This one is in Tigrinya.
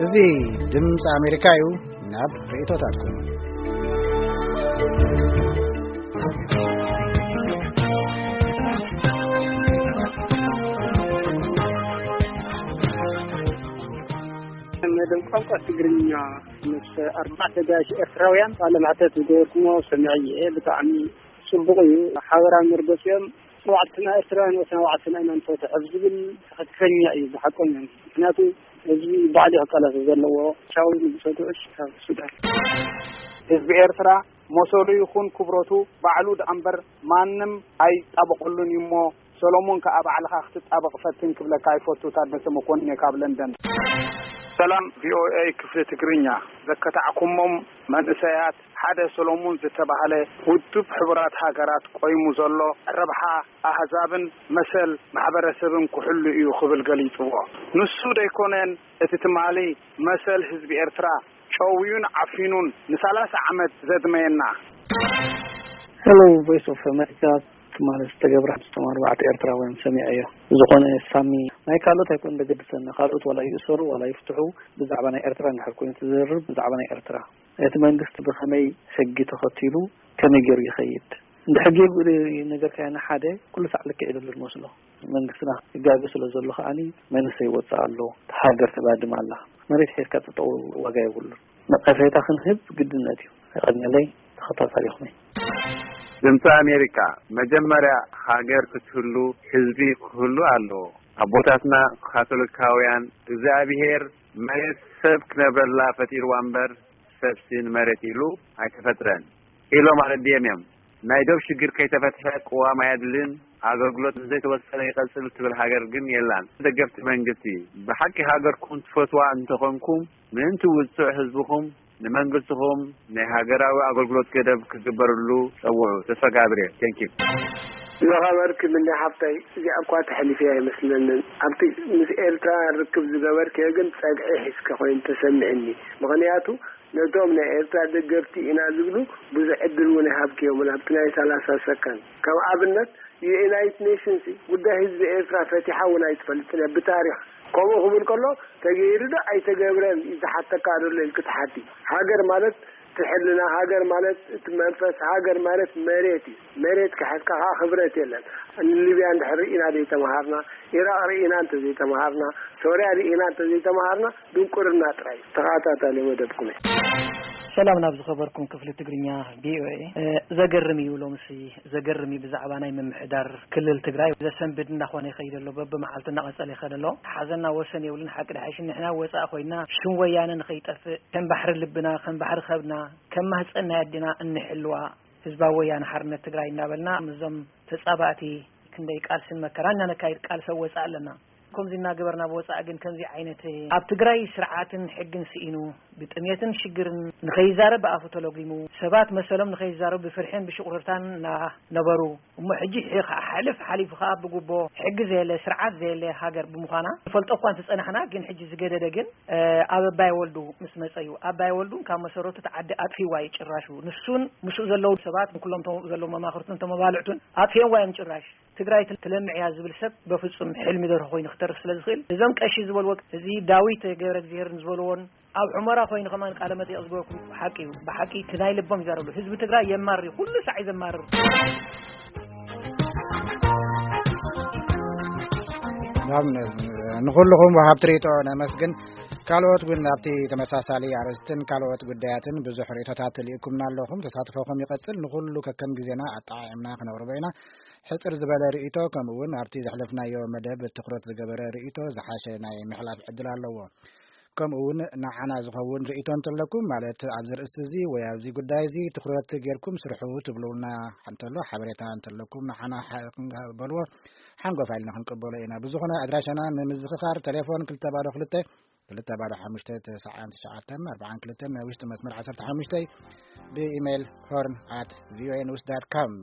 እዚ ድምፂ ኣሜሪካ እዩ። ናብ ርእቶታትኩም። መደብ ቋንቋ ትግርኛ ምስ ኣርባዕተ ጋሽ ኤርትራውያን ቃለ መሕተት ዝገበርኩሞ ሰሚዐ እየ። ብጣዕሚ ጽቡቕ እዩ። ሓበራዊ መርገጺኦም፣ "ተባዕትና ኤርትራውያን ወትና ባዕልና ኢና ንፈትሕ" ኣብ ዝብል ትኽክለኛ እዩ፣ ብሓቆም እዮም። ምክንያቱ ህዝቢ ባዕሉ ክቃለስ ዘለዎ። ቻው ንጉሰ ጉዑሽ ካብ ሱዳን። ህዝቢ ኤርትራ መሰሉ ይኹን ክብረቱ ባዕሉ ደኣ እምበር ማንም ኣይጣበቐሉን እዩ እሞ፣ ሰሎሞን ከኣ ባዕልኻ ክትጣበቕ ፈትን ክብለካ ይፈቱ። ታደሰ መኮንን እየ ካብ ለንደን። ሰላም ቪ ኦ ኤ ክፍሊ ትግርኛ፣ ዘከታዕኩሞም መንእሰያት ሓደ ሰሎሙን ዝተባህለ ውድብ ሕቡራት ሃገራት ቆይሙ ዘሎ ረብሓ ኣህዛብን መሰል ማሕበረሰብን ክሕሉ እዩ ክብል ገሊጽዎ። ንሱ ደይኮነን እቲ ትማሊ መሰል ህዝቢ ኤርትራ ጨውዩን ዓፊኑን ንሰላሳ ዓመት ዘድመየና። Hello, Voice of America። ትማሊ ዝተገብረ ምስቶም ኣርባዕተ ኤርትራውያን ሰሚዐዮ። ዝኾነ ሳሚ፣ ናይ ካልኦት ኣይኮን ዘገድሰና፣ ካልኦት ዋላ ይእሰሩ ዋላ ይፍትሑ፣ ብዛዕባ ናይ ኤርትራ እንድሕር ኮይኑ ትዝርብ፣ ብዛዕባ ናይ ኤርትራ እቲ መንግስቲ ብኸመይ ሕጊ ተኸቲሉ ከመይ ገይሩ ይኸይድ? እንድሕር ጌጉ ነገርካዮ ንሓደ ኩሉ ሳዕ ልክዕ ይደሉ ዝመስሎ። መንግስትና ይጋገ ስለ ዘሎ ከኣኒ መንእሰይ ይወፅእ ኣሎ፣ ሃገር ተባድም ኣላ። መሬት ሒዝካ ጠጠው ዋጋ የብሉን። ነቐፌታ ክንህብ ግድነት እዩ። የቐንየለይ፣ ተኸታታሊኹም እየ። ድምፂ ኣሜሪካ፣ መጀመርያ ሃገር ክትህሉ ህዝቢ ክህሉ ኣለዎ። ኣቦታትና ካቶሊካውያን እግዚኣብሄር መሬት ሰብ ክነብረላ ፈጢርዋ እምበር ሰብሲ ንመሬት ኢሉ ኣይተፈጥረን ኢሎም ኣረዲኦም እዮም። ናይ ዶብ ሽግር ከይተፈትሐ ቅዋም ኣየድልን፣ ኣገልግሎት ዘይተወሰነ ይቐጽል ትብል ሃገር ግን የላን። ደገፍቲ መንግስቲ፣ ብሓቂ ሃገርኩም ትፈትዋ እንተኾንኩም ምእንቲ ውጹዕ ህዝብኹም ንመንግስትኹም ናይ ሃገራዊ ኣገልግሎት ገደብ ክግበርሉ ጸውዑ። ተስፋ ጋብርኤል። ቴንኪ። ዝኸበርኪ ምንዳይ ሓፍተይ፣ እዚኣ እኳ ተሕሊፈያ ኣይመስለንን። ኣብቲ ምስ ኤርትራ ርክብ ዝገበርክዮ ግን ጸግዒ ሒዝኪ ኮይኑ ተሰሚዕኒ። ምኽንያቱ ነቶም ናይ ኤርትራ ደገፍቲ ኢና ዝብሉ ብዙሕ ዕድል እውን ኣይሃብክዮምን ኣብቲ ናይ ሰላሳ ሰከንድ። ከም ኣብነት ዩናይትድ ኔሽንስ ጉዳይ ህዝቢ ኤርትራ ፈቲሓ እውን ኣይትፈልጥን እያ ብታሪኽ። ከምኡ ክብል ከሎ ተገይሩ ዶ ኣይተገብረን እዩ ዝሓተካ ዘሎ ኢልኪ ትሓቲ። ሃገር ማለት እቲ ሕልና፣ ሃገር ማለት እቲ መንፈስ፣ ሃገር ማለት መሬት እዩ። መሬት ክሕዝካ ከዓ ክብረት የለን። ንሊብያ እንድሕር ርኢና ዘይተምሃርና፣ ኢራቕ ርኢና እንተዘይተምሃርና፣ ሶርያ ርኢና እንተዘይተምሃርና ድንቁርና ጥራይ። ተኸታታሊ መደብኩም እየ። ሰላም ናብ ዝኸበርኩም ክፍሊ ትግርኛ ቪኦኤ። እ፣ ዘገርም እዩ ሎምሲ፣ ዘገርም እዩ። ብዛዕባ ናይ ምምሕዳር ክልል ትግራይ ዘሰንብድ እናኾነ ይኸይድ ኣሎ። በብመዓልቱ እናቐጸለ ይኸድ ኣሎ። ሓዘንና ወሰን የብሉን። ሓቂ ድሓይሽ ንሕና ወጻእ ኮይና ሽም ወያነ ንኸይጠፍእ ከም ባሕሪ ልብና፣ ከም ባሕሪ ከብድና፣ ከም ማህጸን ናይ ኣዴና እንሕልዋ ህዝባዊ ወያነ ሓርነት ትግራይ እናበልና ምስዞም ተጻባእቲ ክንደይ ቃልስን መከራን እናነካይድ ቃልሲ ወጻእ ኣለና። ከምዚ እናገበርና ብወጻኢ ግን ከምዚ ዓይነት ኣብ ትግራይ ስርዓትን ሕግን ስኢኑ ብጥሜትን ሽግርን ንኸይዛረብ ብኣፉ ተለጒሙ ሰባት መሰሎም ንኸይዛረቡ ብፍርሕን ብሽቑርርታን እናነበሩ እሞ ሕጂ ሕ-፣ ሓልፍ ሓሊፉ ከዓ ብጉቦ ሕጊ ዘየለ ስርዓት ዘየለ ሃገር ብምዃና ንፈልጦ እኳ እንተጸናሕና ግን ሕጂ ዝገደደ ግን እ፣ ኣብ ኣባይ ወልዱ ምስ መጸ እዩ። ኣባይ ወልዱ ካብ መሰረቱ እቲ ዓዲ ኣጥፊዋ እዩ ጭራሹ። ንሱን ምስኡ ዘለዉ ሰባት ኩሎም እቶም ዘለዉ መማኽርቱን እቶም መባልዕቱን ኣጥፊኦምዋ እዮም ጭራሽ። ትግራይ ትል-፣ ትለምዕ እያ ዝብል ሰብ በፍጹም ሕልሚ ደርሆ ኮይኑ ክተርፍ ስለ ዝኽእል፣ እዞም ቀሺ ዝበልዎ፣ እዚ ዳዊት ገብረ እግዚኣብሔር ዝበልዎን ኣብ ሑመራ ኮይኑ ከማን ቃለ መጠይቕ ዝገበርኩ ሓቂ እዩ። ብሓቂ እቲ ናይ ልቦም ይዛረብሉ። ህዝቢ ትግራይ የማሪ፣ ኩሉ ሳዕ እዩ ዘማርር። ናብ ን-፣ ንኹልኹም ወሃብቲ ርእይቶ ነመስግን። ካልኦት እውን ኣብቲ ተመሳሳሊ ኣርእስትን ካልኦት ጉዳያትን ብዙሕ ርእይቶታት ልኢኩምና ኣለኹም። ተሳትፎኹም ይቐጽል። ንኹሉ ከከም ግዜና ኣጠዓዒምና ክነቕርቦ ኢና። ሕጽር ዝበለ ርእይቶ፣ ከምኡ እውን ኣብቲ ዘሕለፍናዮ መደብ ትኹረት ዝገበረ ርእይቶ ዝሓሸ ናይ ምሕላፍ ዕድል ኣለዎ። ከምኡ እውን ንዓና ዝኸውን ርእይቶ እንተለኩም፣ ማለት ኣብዚ ርእስቲ እዚ ወይ ኣብዚ ጉዳይ እዚ ትኹረት ጌርኩም ስርሑ ትብሉና እንተሎ፣ ሓበሬታ እንተለኩም ንዓና ሓ-፣ ክንበልዎ ሓንጎፋ ኢልና ክንቅበሎ ኢና። ብዝኾነ ኣድራሻና ንምዝኽኻር፣ ቴሌፎን ክልተ ባዶ ክልተ፣ ክልተ ባዶ ሓሙሽተ፣ ተስዓን ትሽዓተን ኣርባዓን ክልተን፣ ናይ ውሽጢ መስመር ዓሰርተ ሓሙሽተ፣ ብኢሜይል ሆርን ኣት ቪኦኤ ኒውስ ዳት ኮም።